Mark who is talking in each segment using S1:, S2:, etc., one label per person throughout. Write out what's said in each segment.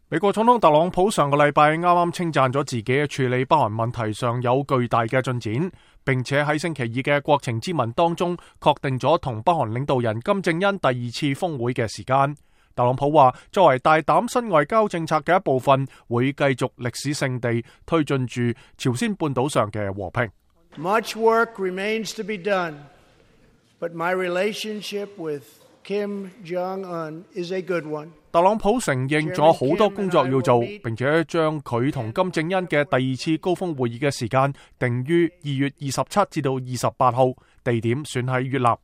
S1: 美國總統特朗普上個禮拜啱啱稱讚咗自己喺處理北韓問題上有巨大嘅進展，並且喺星期二嘅國情咨文當中確定咗同北韓領導人金正恩第二次峰會嘅時間。特朗普話，作為大膽新外交政策嘅一部分，會繼續歷史性地推進住朝鮮半島上嘅和平。
S2: Much work remains to be done, but my relationship with Kim Jong-un is a good one.
S1: 特朗普承認咗好多工作要做，並且將佢同金正恩嘅第二次高峰會議嘅時間定於2月27至到28號，地點選喺越南。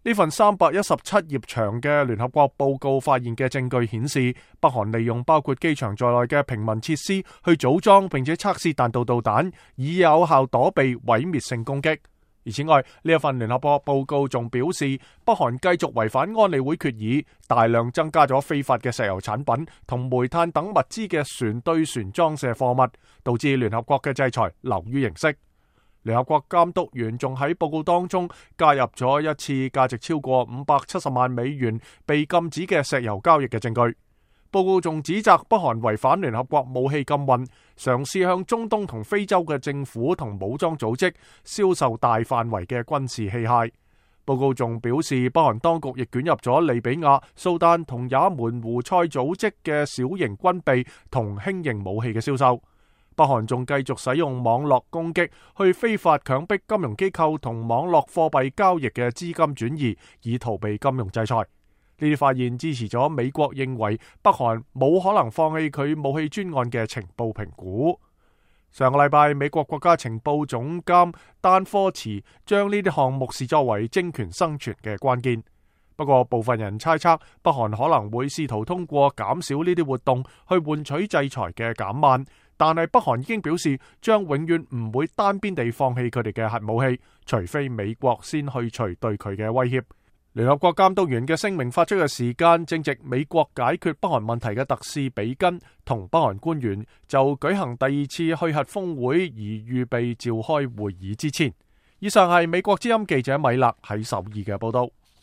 S1: 呢份317頁長嘅聯合國報告發現嘅證據顯示，北韓利用包括機場在內嘅平民設施去組裝並且測試彈道導彈，以有效躲避毀滅性攻擊。而此外，呢一份聯合國報告仲表示，北韓繼續違反安理會決議，大量增加咗非法嘅石油產品同煤炭等物資嘅船對船裝卸貨物，導致聯合國嘅制裁流於形式。聯合國監督員仲喺報告當中加入咗一次價值超過570萬美元被禁止嘅石油交易嘅證據。報告仲指責北韓違反聯合國武器禁運，嘗試向中東同非洲嘅政府同武裝組織銷售大範圍嘅軍事器械。報告仲表示，北韓當局亦捲入咗利比亞、蘇丹同也門胡塞組織嘅小型軍備同輕型武器嘅銷售。北韓仲繼續使用網絡攻擊去非法強迫金融機構同網絡貨幣交易嘅資金轉移，以逃避金融制裁。呢啲發現支持咗美國認為北韓冇可能放棄佢武器專案嘅情報評估。上個禮拜，美國國家情報總監丹科茨將呢啲項目視作為政權生存嘅關鍵。不過，部分人猜測北韓可能會試圖通過減少呢啲活動去換取制裁嘅減慢。但係北韓已經表示將永遠唔會單邊地放棄佢哋嘅核武器，除非美國先去除對佢嘅威脅。聯合國監督員嘅聲明發出嘅時間正值美國解決北韓問題嘅特使比根同北韓官員就舉行第二次去核峰會而預備召開會議之前。以上係美國之音記者米勒喺首爾嘅報道。